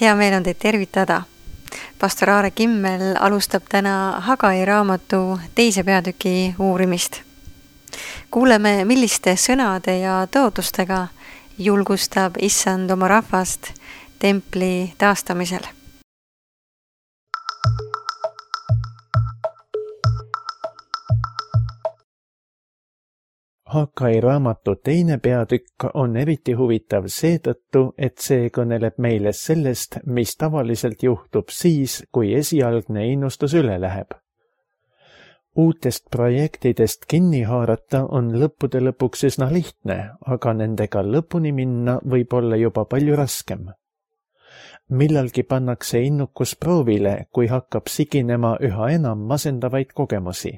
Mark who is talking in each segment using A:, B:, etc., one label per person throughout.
A: Hea meel on teid tervitada. Pastor Aare Kimmel alustab täna Hagai raamatu 2. peatüki uurimist. Kuuleme, milliste sõnade ja tõotustega julgustab Issand oma rahvast templi taastamisel.
B: Hagai raamatu 2. peatükk on eriti huvitav seetõttu, et see kõneleb meile sellest, mis tavaliselt juhtub siis, kui esialgne innustus üle läheb. Uutest projektidest kinni haarata on lõppude lõpuks üsna lihtne, aga nendega lõpuni minna võib olla juba palju raskem. Millalgi pannakse innukus proovile, kui hakkab siginema üha enam masendavaid kogemusi.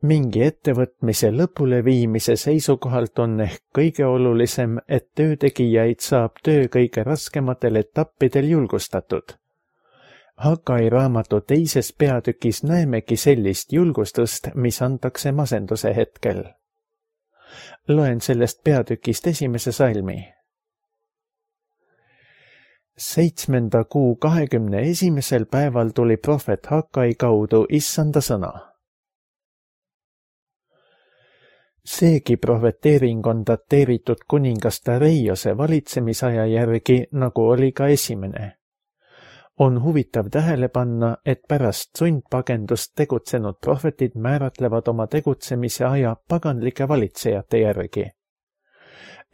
B: Mingi ettevõtmise lõpule viimise seisukohalt on ehk kõige olulisem, et töötegijaid saab töö kõige raskematel etappidel julgustatud. Hagai raamatu 2. peatükis näemegi sellist julgustust, mis antakse masenduse hetkel. Loen sellest peatükist 1. salmi. 7. kuu 21. päeval tuli prohvet Hagai kaudu Issanda sõna. Seegi prohveteering on dateeritud kuningas Dareiose valitsemisaja järgi, nagu oli ka esimene. On huvitav tähele panna, et pärast sundpagendust tegutsenud prohvetid määratlevad oma tegutsemise aja paganlike valitsejate järgi.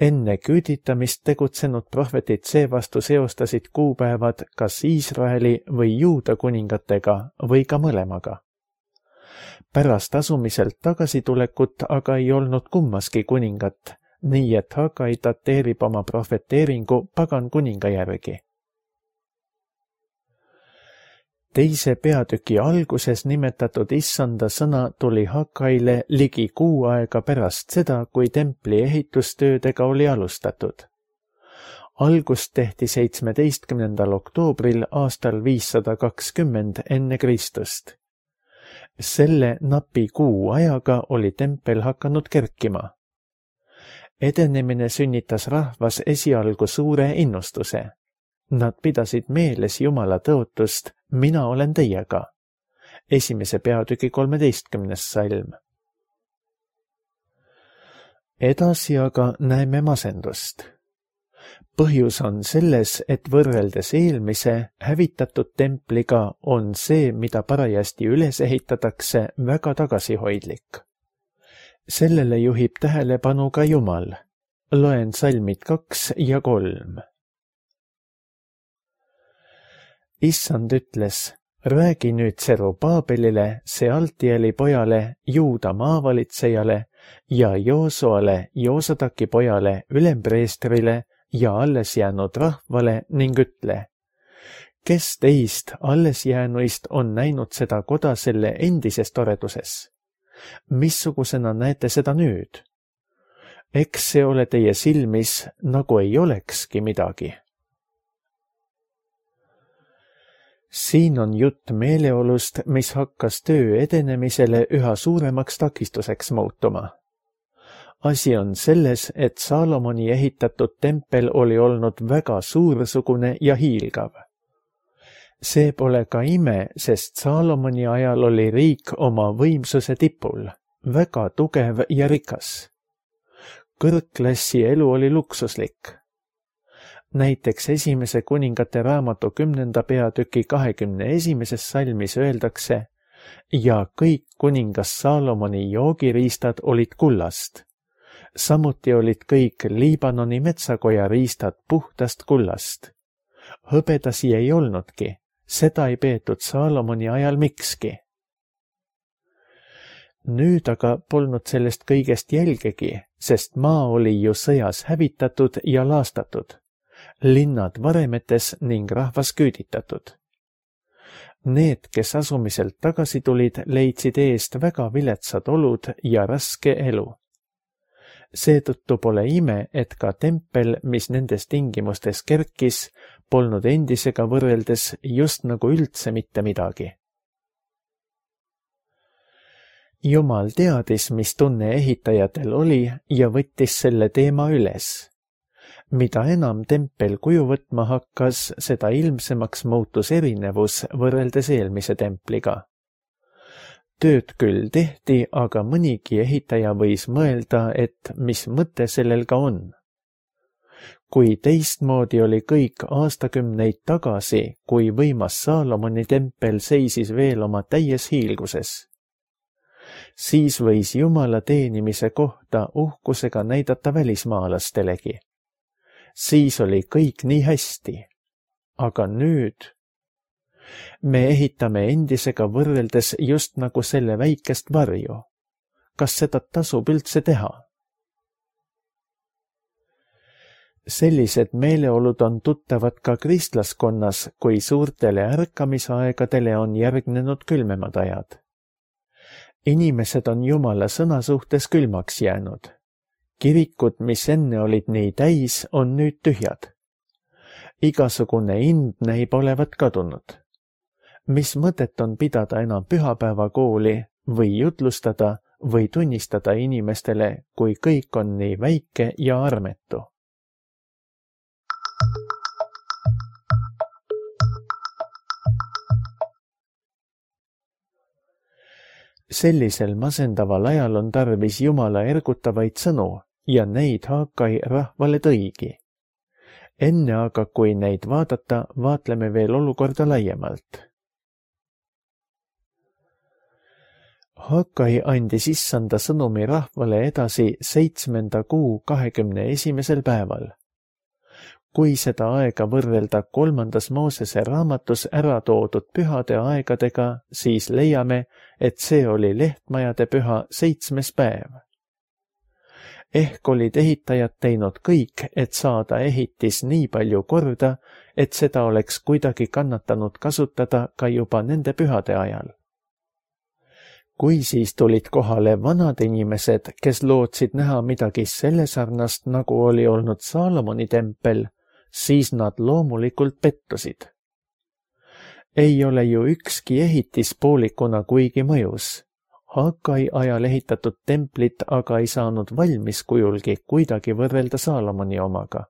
B: Enne küüditamist tegutsenud prohvetid seevastu seostasid kuupäevad kas Iisraeli või Juuda kuningatega või ka mõlemaga. Pärast asumiselt tagasitulekut aga ei olnud kummaski kuningat, nii et Hagai dateerib oma prohveteeringu pagan kuninga järgi. 2. peatüki alguses nimetatud Issanda sõna tuli Hagaile ligi kuu aega pärast seda, kui templi ehitustöödega oli alustatud. Algust tehti 17. oktoobril aastal 520 enne Kristust. Selle napi kuu ajaga oli tempel hakanud kerkima. Edenemine sünnitas rahvas esialgu suure innustuse. Nad pidasid meeles Jumala tõotust, mina olen teiega. 1. peatüki 13. salm. Edasi aga näeme masendust. Põhjus on selles, et võrreldes eelmise hävitatud templiga on see, mida parajasti üles ehitatakse, väga tagasihoidlik. Sellele juhib tähelepanu ka Jumal. Loen salmid 2 ja 3. Issand ütles, räägi nüüd Serubaabelile, Sealtieli pojale, Juuda maavalitsejale ja Joosuale, Joosadaki pojale, ülempreestrile ja alles jäänud rahvale ning ütle, kes teist alles jäänuist on näinud seda koda selle endises toreduses? Missugusena näete seda nüüd? Eks see ole teie silmis, nagu ei olekski midagi. Siin on jutt meeleolust, mis hakkas töö edenemisele üha suuremaks takistuseks muutuma. Asi on selles, et Saalomoni ehitatud tempel oli olnud väga suursugune ja hiilgav. See pole ka ime, sest Saalomoni ajal oli riik oma võimsuse tipul, väga tugev ja rikas. Kõrgklassi elu oli luksuslik. Näiteks 1. kuningate raamatu 10. peatüki 21. salmis öeldakse, ja kõik kuningas Saalomoni joogiriistad olid kullast. Samuti olid kõik Liibanoni metsakoja riistad puhtast kullast. Hõbedasi ei olnudki, seda ei peetud Saalomoni ajal mikski. Nüüd aga polnud sellest kõigest jälgegi, sest maa oli ju sõjas hävitatud ja laastatud, linnad varemetes ning rahvas küüditatud. Need, kes asumiselt tagasi tulid, leidsid eest väga viletsad olud ja raske elu. Seetõttu pole ime, et ka tempel, mis nendes tingimustes kerkis, polnud endisega võrreldes just nagu üldse mitte midagi. Jumal teadis, mis tunne ehitajatel oli ja võttis selle teema üles. Mida enam tempel kuju võtma hakkas, seda ilmsemaks muutus erinevus võrreldes eelmise templiga. Tööd küll tehti, aga mõnigi ehitaja võis mõelda, et mis mõte sellel ka on. Kui teistmoodi oli kõik aastakümneid tagasi, kui võimas Saalomoni tempel seisis veel oma täies hiilguses. Siis võis Jumala teenimise kohta uhkusega näidata välismaalastelegi. Siis oli kõik nii hästi. Aga nüüd me ehitame endisega võrreldes just nagu selle väikest varju. Kas seda tasub üldse teha? Sellised meeleolud on tuttavad ka kristlaskonnas, kui suurtele ärkamisaegadele on järgnenud külmemad ajad. Inimesed on Jumala sõna suhtes külmaks jäänud. Kirikud, mis enne olid nii täis, on nüüd tühjad. Igasugune ind näib olevat kadunud. Mis mõtet on pidada enam pühapäevakooli või jutlustada või tunnistada inimestele, kui kõik on nii väike ja armetu? Sellisel masendaval ajal on tarvis Jumala ergutavaid sõnu ja neid Haagai rahvale tõigi. Enne aga, kui neid vaadata, vaatleme veel olukorda laiemalt. Haagai andis issanda sõnumi rahvale edasi 7. kuu 21. päeval. Kui seda aega võrrelda 3. Moosese raamatus ära toodud pühade aegadega, siis leiame, et see oli lehtmajade püha 7. päev. Ehk olid ehitajad teinud kõik, et saada ehitis nii palju korda, et seda oleks kuidagi kannatanud kasutada ka juba nende pühade ajal. Kui siis tulid kohale vanad inimesed, kes lootsid näha midagi selle sarnast, nagu oli olnud Saalomoni tempel, siis nad loomulikult pettusid. Ei ole ju ükski ehitis poolikuna kuigi mõjus. Haagai ajal ehitatud templit aga ei saanud valmis kujulgi kuidagi võrrelda Saalomoni omaga.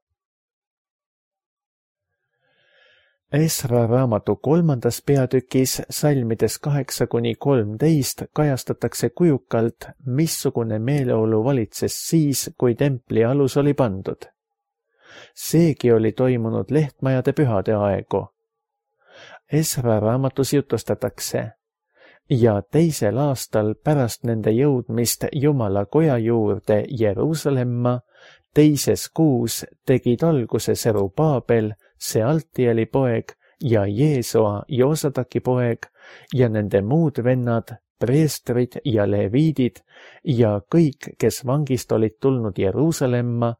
B: Esra raamatu 3. peatükis salmides 8-13 kajastatakse kujukalt, missugune meeleolu valitses siis, kui templi alus oli pandud. Seegi oli toimunud lehtmajade pühade aegu. Esra raamatus jutustatakse: ja 2. aastal pärast nende jõudmist Jumala koja juurde Jeruusalemma, 2. kuus tegid alguse Serubaabel, Sealtieli poeg, ja Jeesua, Joosadaki poeg, ja nende muud vennad, preestrid ja leviidid ja kõik, kes vangist olid tulnud Jeruusalemma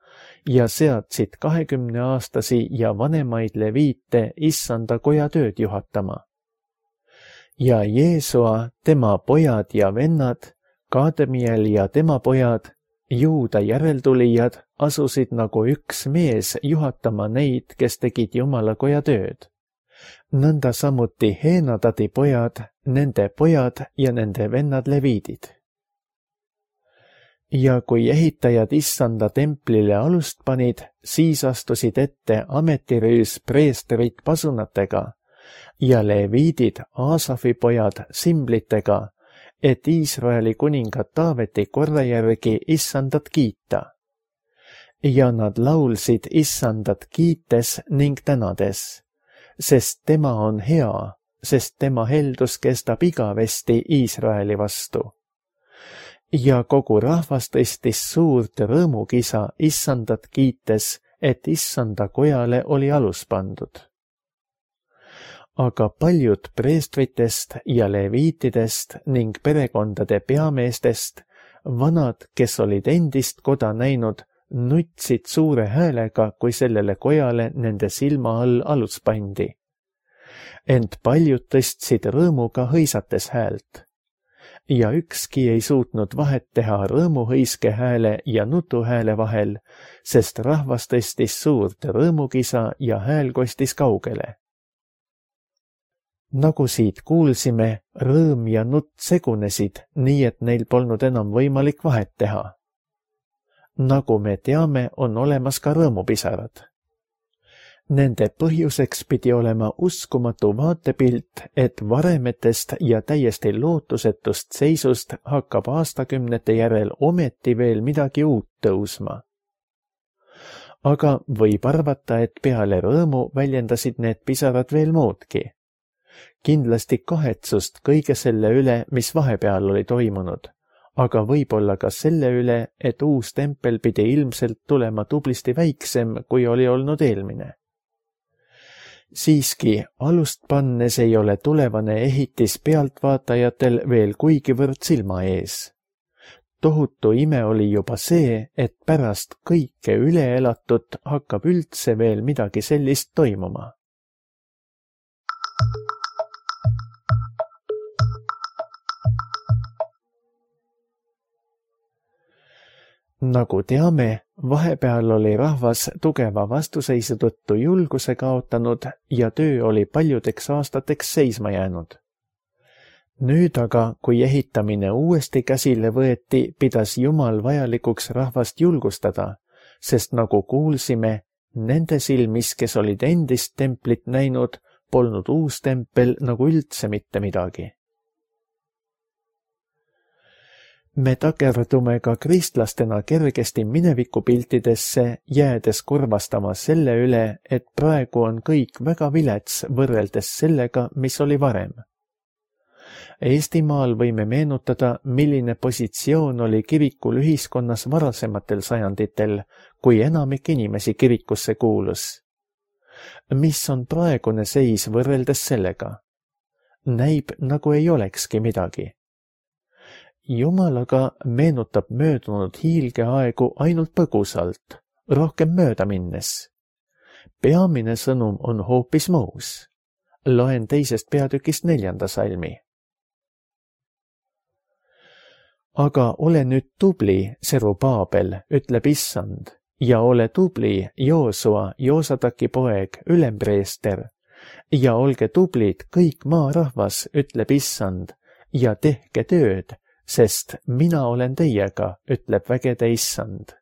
B: ja seadsid 20-aastasi ja vanemaid leviite issanda koja tööd juhatama. Ja Jeesua, tema pojad ja vennad, Kademiel ja tema pojad, Juuda järeltulijad asusid nagu üks mees juhatama neid, kes tegid Jumala koja tööd. Nõnda samuti Heenadadi pojad, nende pojad ja nende vennad leviidid. Ja kui ehitajad issanda templile alust panid, siis astusid ette ametirüüs preestrid pasunatega ja leviidid Aasafi pojad simblitega, et Iisraeli kuninga Taaveti korra järgi issandat kiita. Ja nad laulsid issandat kiites ning tänades, sest tema on hea, sest tema heldus kestab igavesti Iisraeli vastu. Ja kogu rahvas tõstis suurt rõõmukisa issandat kiites, et issanda kojale oli alus pandud. Aga paljud preestritest ja leviitidest ning perekondade peameestest, vanad, kes olid endist koda näinud, nutsid suure häälega, kui sellele kojale nende silma all alus pandi. Ent paljud tõstsid rõõmuga hõisates häält. Ja ükski ei suutnud vahet teha rõõmuhõiske hääle ja nutuhääle vahel, sest rahvas tõstis suurt rõõmukisa ja hääl kostis kaugele. Nagu siit kuulsime, rõõm ja nutt segunesid, nii et neil polnud enam võimalik vahet teha. Nagu me teame, on olemas ka rõõmupisarad. Nende põhjuseks pidi olema uskumatu vaatepilt, et varemetest ja täiesti lootusetust seisust hakkab aastakümnete järel ometi veel midagi uut tõusma. Aga võib arvata, et peale rõõmu väljendasid need pisarad veel muudki. Kindlasti kahetsust kõige selle üle, mis vahepeal oli toimunud, aga võib-olla ka selle üle, et uus tempel pidi ilmselt tulema tublisti väiksem, kui oli olnud eelmine. Siiski, alust pannes ei ole tulevane ehitis pealtvaatajatel veel kuigivõrd silma ees. Tohutu ime oli juba see, et pärast kõike üle elatut hakkab üldse veel midagi sellist toimuma. Nagu teame, vahepeal oli rahvas tugeva vastuseisu tõttu julguse kaotanud ja töö oli paljudeks aastateks seisma jäänud. Nüüd aga, kui ehitamine uuesti käsile võeti, pidas Jumal vajalikuks rahvast julgustada, sest nagu kuulsime, nende silmis, kes olid endist templit näinud, polnud uus tempel nagu üldse mitte midagi. Me takerdume ka kristlastena kergesti minevikupiltidesse, jäädes kurvastama selle üle, et praegu on kõik väga vilets võrreldes sellega, mis oli varem. Eestimaal võime meenutada, milline positsioon oli kirikul ühiskonnas varasematel sajanditel, kui enamik inimesi kirikusse kuulus. Mis on praegune seis võrreldes sellega? Näib, nagu ei olekski midagi. Jumal aga meenutab möödunud hiilgeaegu ainult põgusalt, rohkem mööda minnes. Peamine sõnum on hoopis muus. Loen 2. peatükist 4. salmi. Aga ole nüüd tubli, Serubaabel, ütleb Issand, ja ole tubli, Joosua, Joosadaki poeg, ülempreester, ja olge tublid kõik maarahvas, ütleb Issand, ja tehke tööd, sest mina olen teiega, ütleb vägede Issand.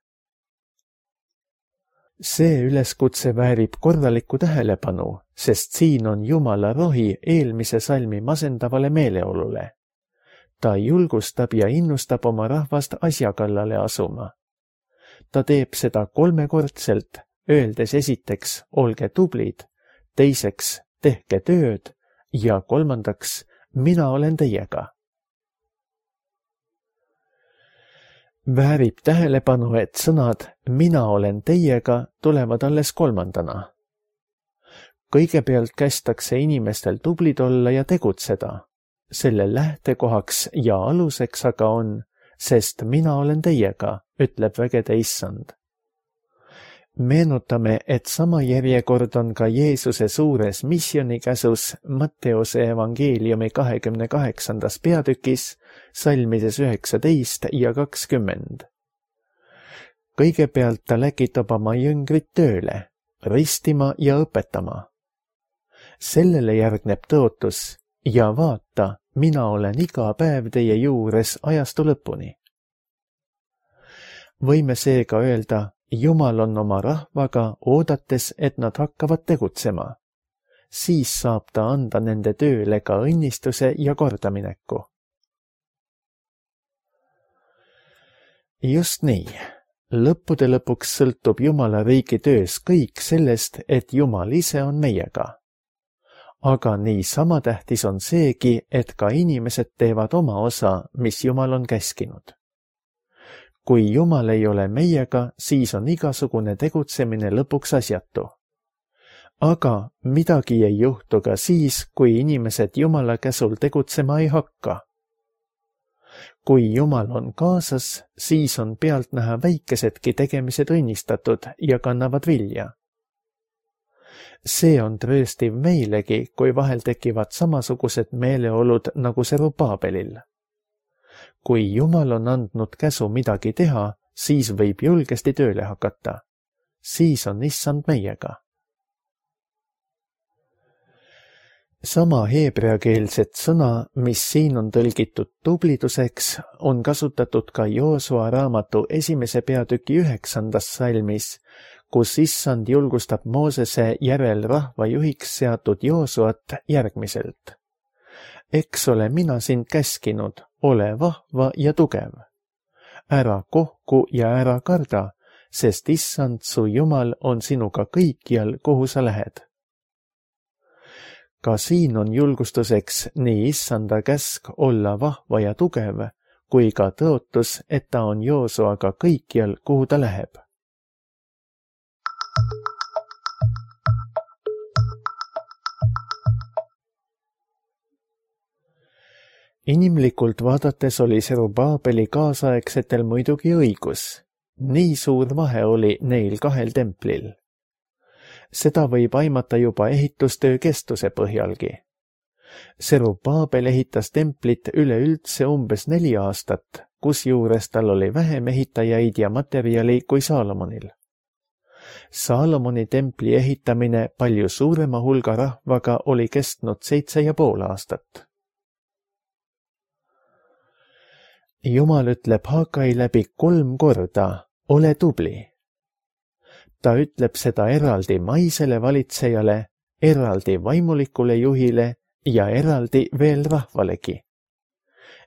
B: See üleskutse väärib korralikku tähelepanu, sest siin on Jumala rohi eelmise salmi masendavale meeleolule. Ta julgustab ja innustab oma rahvast asja kallale asuma. Ta teeb seda 3-kordselt, öeldes esiteks, olge tublid, teiseks, tehke tööd ja 3, mina olen teiega. Väärib tähelepanu, et sõnad mina olen teiega tulevad alles 3. Kõigepealt kästakse inimestel tublid olla ja tegutseda. Selle lähtekohaks ja aluseks aga on, sest mina olen teiega, ütleb vägede Issand. Meenutame, et sama järjekord on ka Jeesuse suures missionikäsus Matteuse evangeeliumi 28. peatükis, salmides 19 ja 20. Kõigepealt ta läkitab oma jüngrid tööle, ristima ja õpetama. Sellele järgneb tõotus ja vaata, mina olen iga päev teie juures ajastu lõpuni. Võime seega öelda, Jumal on oma rahvaga oodates, et nad hakkavad tegutsema. Siis saab ta anda nende tööle ka õnnistuse ja kordamineku. Just nii. Lõppude lõpuks sõltub Jumala riigi töös kõik sellest, et Jumal ise on meiega. Aga nii sama tähtis on seegi, et ka inimesed teevad oma osa, mis Jumal on käskinud. Kui Jumal ei ole meiega, siis on igasugune tegutsemine lõpuks asjatu. Aga midagi ei juhtu ka siis, kui inimesed Jumala käsul tegutsema ei hakka. Kui Jumal on kaasas, siis on pealtnäha väikesedki tegemised õnnistatud ja kannavad vilja. See on trööstiv meilegi, kui vahel tekivad samasugused meeleolud nagu Serubaabelil. Kui Jumal on andnud käsu midagi teha, siis võib julgesti tööle hakata. Siis on Issand meiega. Sama heebreakeelset sõna, mis siin on tõlgitud tubliduseks, on kasutatud ka Joosua raamatu 1. peatüki 9. salmis, kus Issand julgustab Moosese järel rahva juhiks seatud Joosuat järgmiselt. Eks ole mina sind käskinud, ole vahva ja tugev. Ära kohku ja ära karda, sest Issand su Jumal on sinuga kõikjal, kuhu sa lähed. Ka siin on julgustuseks nii Issanda käsk olla vahva ja tugev, kui ka tõotus, et ta on Joosuaga kõikjal, kuhu ta läheb. Inimlikult vaadates oli Serubaabeli kaasaegsetel muidugi õigus. Nii suur vahe oli neil kahel templil. Seda võib aimata juba ehitustöö kestuse põhjalgi. Serubaabel ehitas templit üleüldse umbes 4 aastat, kusjuures tal oli vähem ehitajaid ja materjali kui Saalomonil. Saalomoni templi ehitamine palju suurema hulga rahvaga oli kestnud 7,5 aastat. Jumal ütleb Hagai läbi 3 korda, ole tubli. Ta ütleb seda eraldi maisele valitsejale, eraldi vaimulikule juhile ja eraldi veel rahvalegi.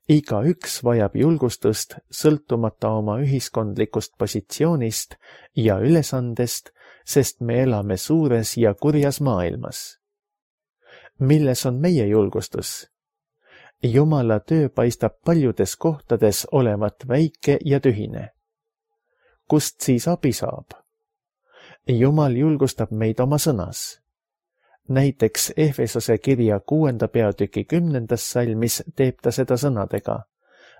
B: Igaüks vajab julgustust sõltumata oma ühiskondlikust positsioonist ja ülesandest, sest me elame suures ja kurjas maailmas. Milles on meie julgustus? Jumala töö paistab paljudes kohtades olevat väike ja tühine. Kust siis abi saab? Jumal julgustab meid oma sõnas. Näiteks Efesose kirja 6. peatüki 10. salmis teeb ta seda sõnadega.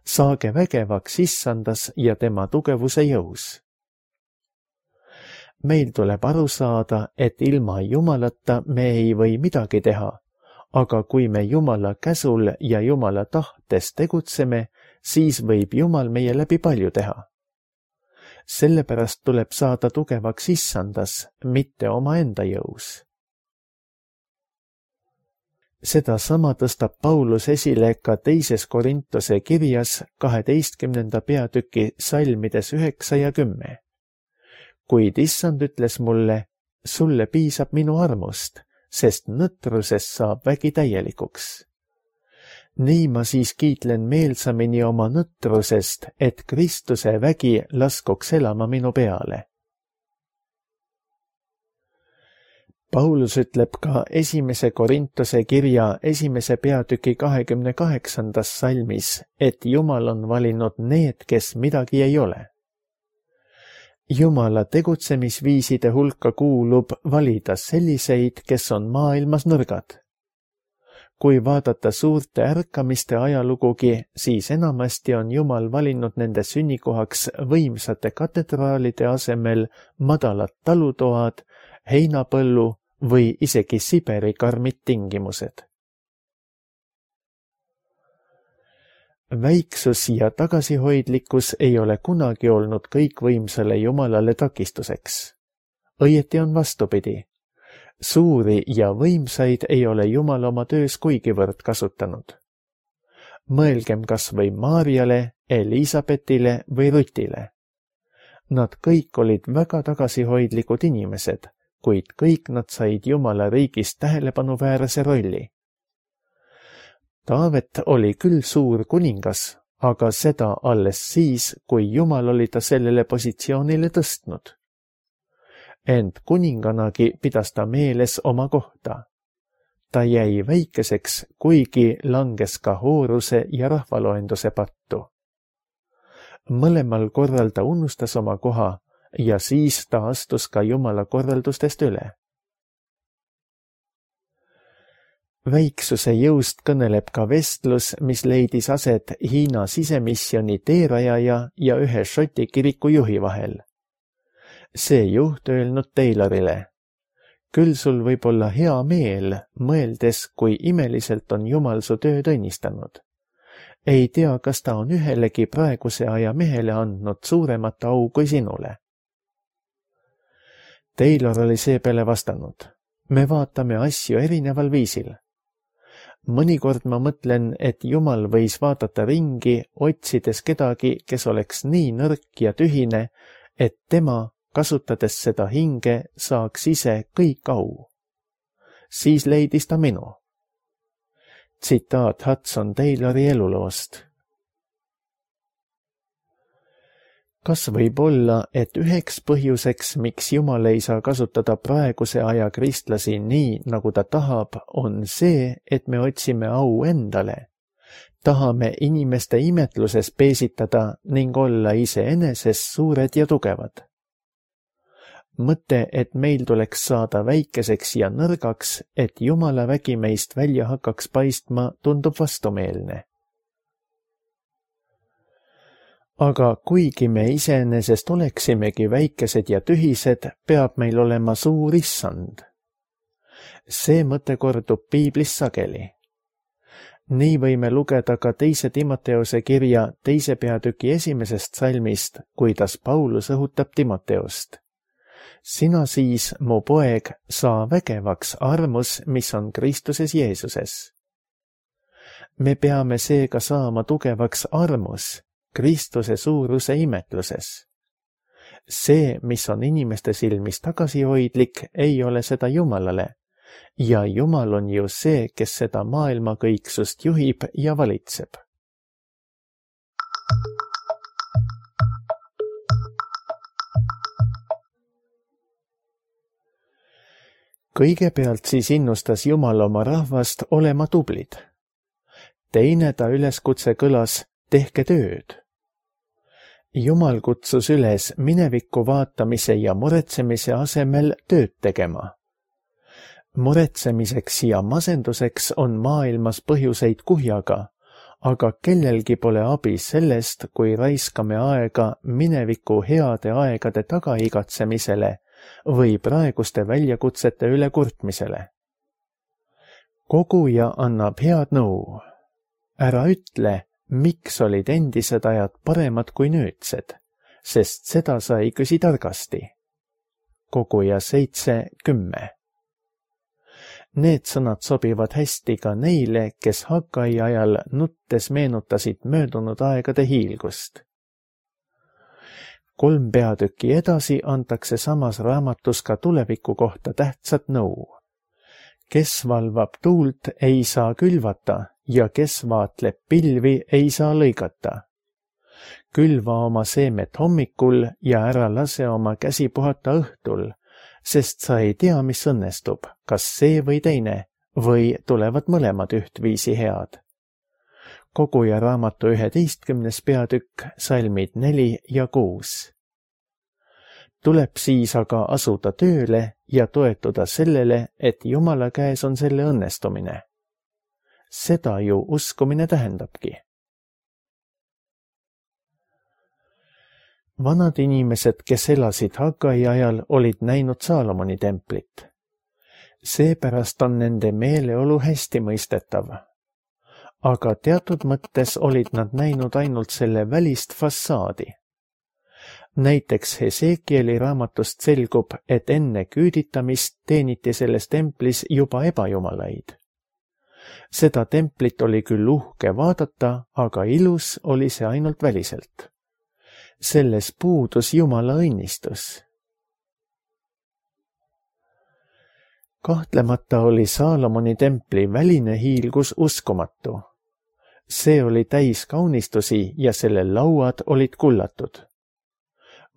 B: Saage vägevaks Issandas ja tema tugevuse jõus. Meil tuleb aru saada, et ilma Jumalata me ei või midagi teha, aga kui me Jumala käsul ja Jumala tahtes tegutseme, siis võib Jumal meie läbi palju teha. Sellepärast tuleb saada tugevaks Issandas, mitte omaenda jõus. Seda sama tõstab Paulus esile ka 2. Korintuse kirjas 12. peatüki salmides 9 ja 10. Kuid Issand ütles mulle, sulle piisab minu armust, sest nõtrusest saab vägi täielikuks. Nii ma siis kiitlen meelsamini oma nõtrusest, et Kristuse vägi laskuks elama minu peale. Paulus ütleb ka 1. Korintuse kirja 1. peatüki 28. salmis, et Jumal on valinud need, kes midagi ei ole. Jumala tegutsemisviiside hulka kuulub valida selliseid, kes on maailmas nõrgad. Kui vaadata suurte ärkamiste ajalugugi, siis enamasti on Jumal valinud nende sünnikohaks võimsate katedraalide asemel madalad talutoad, heinapõllu või isegi Siberi karmid tingimused. Väiksus ja tagasihoidlikkus ei ole kunagi olnud kõikvõimsale Jumalale takistuseks. Õieti on vastupidi. Suuri ja võimsaid ei ole Jumal oma töös kuigivõrd kasutanud. Mõelgem kas või Maarjale, Elisabetile või Rutile. Nad kõik olid väga tagasihoidlikud inimesed, kuid kõik nad said Jumala riigis tähelepanuväärse rolli. Taavet oli küll suur kuningas, aga seda alles siis, kui Jumal oli ta sellele positsioonile tõstnud. Ent kuninganagi pidas ta meeles oma kohta. Ta jäi väikeseks, kuigi langes ka hooruse ja rahvaloenduse pattu. Mõlemal korral ta unustas oma koha ja siis ta astus ka Jumala korraldustest üle. Väiksuse jõust kõneleb ka vestlus, mis leidis aset Hiina sisemisjoni teerajaja ja ühe Šoti kiriku juhi vahel. See juht öelnud Taylorile, küll sul võib olla hea meel, mõeldes, kui imeliselt on Jumal su tööd õnnistanud. Ei tea, kas ta on ühelegi praeguse aja mehele andnud suuremat au kui sinule. Taylor oli seepeale vastanud, me vaatame asju erineval viisil. Mõnikord ma mõtlen, et Jumal võis vaadata ringi, otsides kedagi, kes oleks nii nõrk ja tühine, et tema, kasutades seda hinge, saaks ise kõik au. Siis leidis ta minu. Tsitaat Hudson Taylori eluloost. Kas võib olla, et üheks põhjuseks, miks Jumal ei saa kasutada praeguse aja kristlasi nii, nagu ta tahab, on see, et me otsime au endale. Tahame inimeste imetluses peesitada ning olla iseeneses suured ja tugevad. Mõte, et meil tuleks saada väikeseks ja nõrgaks, et Jumala vägi meist välja hakkaks paistma, tundub vastumeelne. Aga kuigi me iseenesest oleksimegi väikesed ja tühised, peab meil olema suur issand. See mõte kordub piiblis sageli. Nii võime lugeda ka 2. Timoteose kirja 2. peatüki 1. salmist, kuidas Paulus õhutab Timoteost. Sina siis, mu poeg, saa vägevaks armus, mis on Kristuses Jeesuses. Me peame seega saama tugevaks armus, Kristuse suuruse imetluses. See, mis on inimeste silmis tagasihoidlik, ei ole seda Jumalale, ja Jumal on ju see, kes seda maailma kõiksust juhib ja valitseb. Kõigepealt siis innustas Jumal oma rahvast olema tublid. Teine ta üleskutse kõlas, tehke tööd. Jumal kutsus üles minevikku vaatamise ja muretsemise asemel tööd tegema. Muretsemiseks ja masenduseks on maailmas põhjuseid kuhjaga, aga kellelgi pole abi sellest, kui raiskame aega mineviku heade aegade tagaigatsemisele või praeguste väljakutsete üle kurtmisele. Koguja annab head nõu. Ära ütle, miks olid endised ajad paremad kui nüüdsed, sest seda sa ei küsi targasti. Koguja 7:10. Need sõnad sobivad hästi ka neile, kes Hagai ajal nuttes meenutasid möödunud aegade hiilgust. 3 peatükki edasi antakse samas raamatus ka tuleviku kohta tähtsat nõu. Kes valvab tuult, ei saa külvata ja kes vaatleb pilvi, ei saa lõigata. Külva oma seemet hommikul ja ära lase oma käsi puhata õhtul, sest sa ei tea, mis õnnestub, kas see või teine, või tulevad mõlemad ühtviisi head. Koguja raamatu 11. peatükk, salmid 4 ja 6. Tuleb siis aga asuda tööle ja toetuda sellele, et Jumala käes on selle õnnestumine. Seda ju uskumine tähendabki. Vanad inimesed, kes elasid Hagai ajal, olid näinud Saalomoni templit. Seepärast on nende meeleolu hästi mõistetav. Aga teatud mõttes olid nad näinud ainult selle välist fassaadi. Näiteks Hesekieli raamatust selgub, et enne küüditamist teeniti selles templis juba ebajumalaid. Seda templit oli küll uhke vaadata, aga ilus oli see ainult väliselt. Selles puudus Jumala õnnistus. Kahtlemata oli Saalomoni templi väline hiilgus uskumatu. See oli täis kaunistusi ja selle lauad olid kullatud.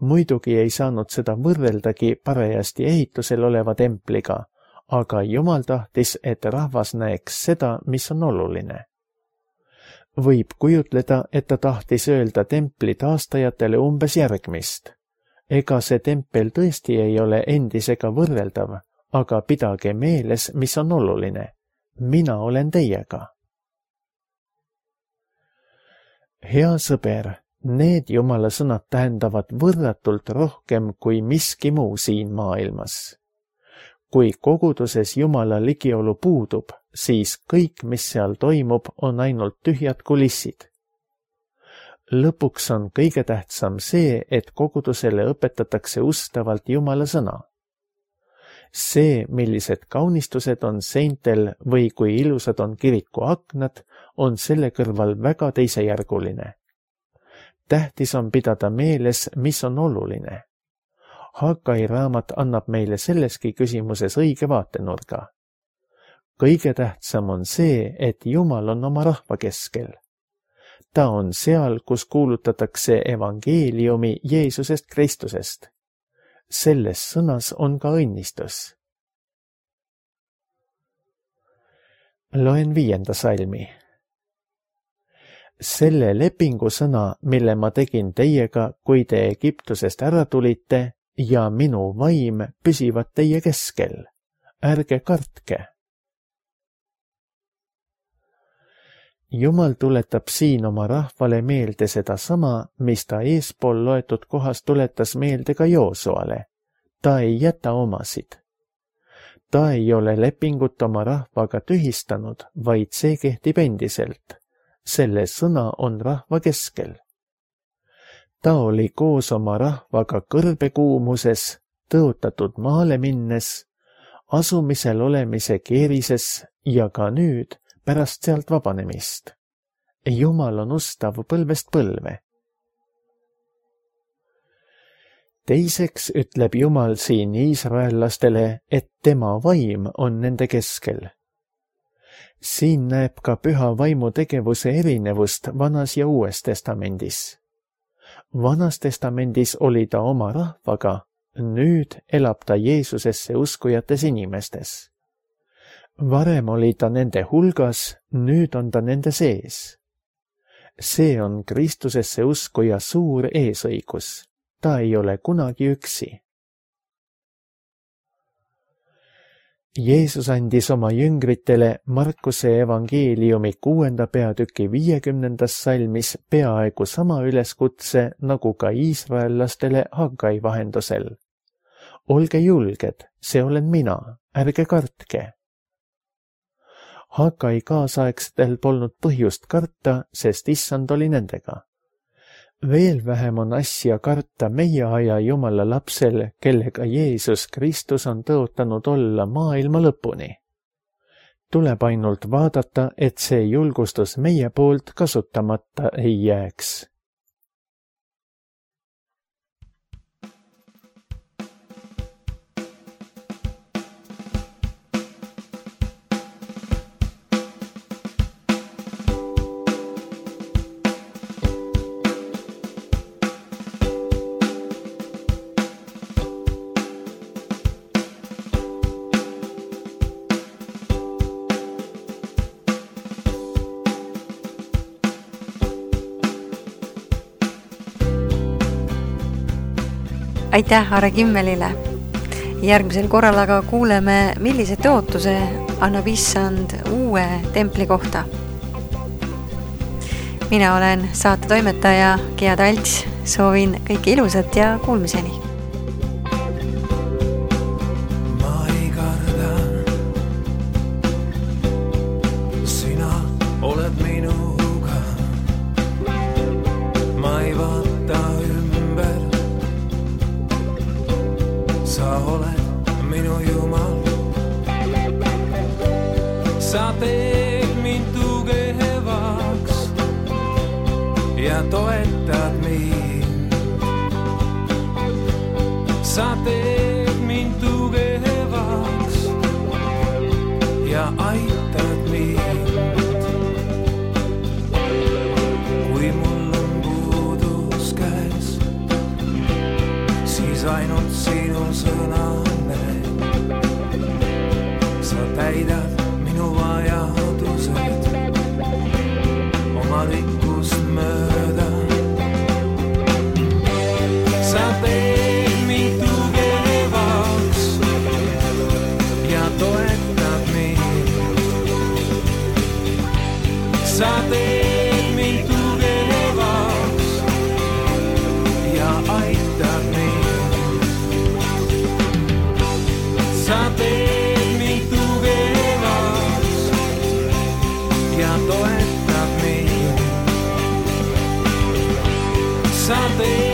B: Muidugi ei saanud seda võrreldagi parajasti ehitusel oleva templiga, aga Jumal tahtis, et rahvas näeks seda, mis on oluline. Võib kujutleda, et ta tahtis öelda templi taastajatele umbes järgmist. Ega see tempel tõesti ei ole endisega võrreldav, aga pidage meeles, mis on oluline. Mina olen teiega. Hea sõber, need Jumala sõnad tähendavad võrratult rohkem kui miski muu siin maailmas. Kui koguduses Jumala ligiolu puudub, siis kõik, mis seal toimub, on ainult tühjad kulissid. Lõpuks on kõige tähtsam see, et kogudusele õpetatakse ustavalt Jumala sõna. See, millised kaunistused on seintel või kui ilusad on kiriku aknad, on selle kõrval väga teisejärguline. Tähtis on pidada meeles, mis on oluline. Hagai raamat annab meile selleski küsimuses õige vaatenurga. Kõige tähtsam on see, et Jumal on oma rahva keskel. Ta on seal, kus kuulutatakse evangeeliumi Jeesusest Kristusest. Selles sõnas on ka õnnistus. Loen 5. salmi. Selle lepingu sõna, mille ma tegin teiega, kui te Egiptusest ära tulite, ja minu vaim püsivad teie keskel. Ärge kartke. Jumal tuletab siin oma rahvale meelde seda sama, mis ta eespool loetud kohas tuletas meelde ka Joosuale. Ta ei jäta omasid. Ta ei ole lepingut oma rahvaga tühistanud, vaid see kehtib endiselt. Selle sõna on rahva keskel. Ta oli koos oma rahvaga kõrbekuumuses, tõotatud maale minnes, asumisel olemise keerises ja ka nüüd pärast sealt vabanemist. Jumal on ustav põlvest põlve. Teiseks ütleb Jumal siin iisraellastele, et tema vaim on nende keskel. Siin näeb ka püha vaimu tegevuse erinevust Vanas ja Uues testamendis. Vanas testamendis oli ta oma rahvaga, nüüd elab ta Jeesusesse uskujates inimestes. Varem oli ta nende hulgas, nüüd on ta nende sees. See on Kristusesse uskuja suur eesõigus. Ta ei ole kunagi üksi. Jeesus andis oma jüngritele Markuse evangeeliumi 6. peatüki 50. salmis peaaegu sama üleskutse nagu ka iisraellastele Hagai vahendusel. Olge julged, see olen mina, ärge kartke. Hagai kaasaegsetel polnud põhjust karta, sest issand oli nendega. Veel vähem on asja karta meie aja Jumala lapsel, kellega Jeesus Kristus on tõotanud olla maailma lõpuni. Tuleb ainult vaadata, et see julgustus meie poolt kasutamata ei jääks.
A: Aitäh Are Kimmelile. Järgmisel korral aga kuuleme, millise tõotuse annab issand uue templi kohta. Mina olen saate toimetaja Gea Talts. Soovin kõike ilusat ja kuulmiseni.
C: Ma ei karda, sina oled minuga. Ma ei vaata ümber. Sa oled minu Jumal. Sa teed mind tugevaks ja toetad mind. Sa teed mind tugevaks ja aitad mind. Kui mul on puudus käes, siis ainult sinu sõnane. Sa täidad minu vajadused oma rikkust mööda. Sa teed mind tugevaks ja toetad mind. Sa teed mind tugevaks ja aitad mind. Sa teed mind tugevaks ja toetad mind. Sa teed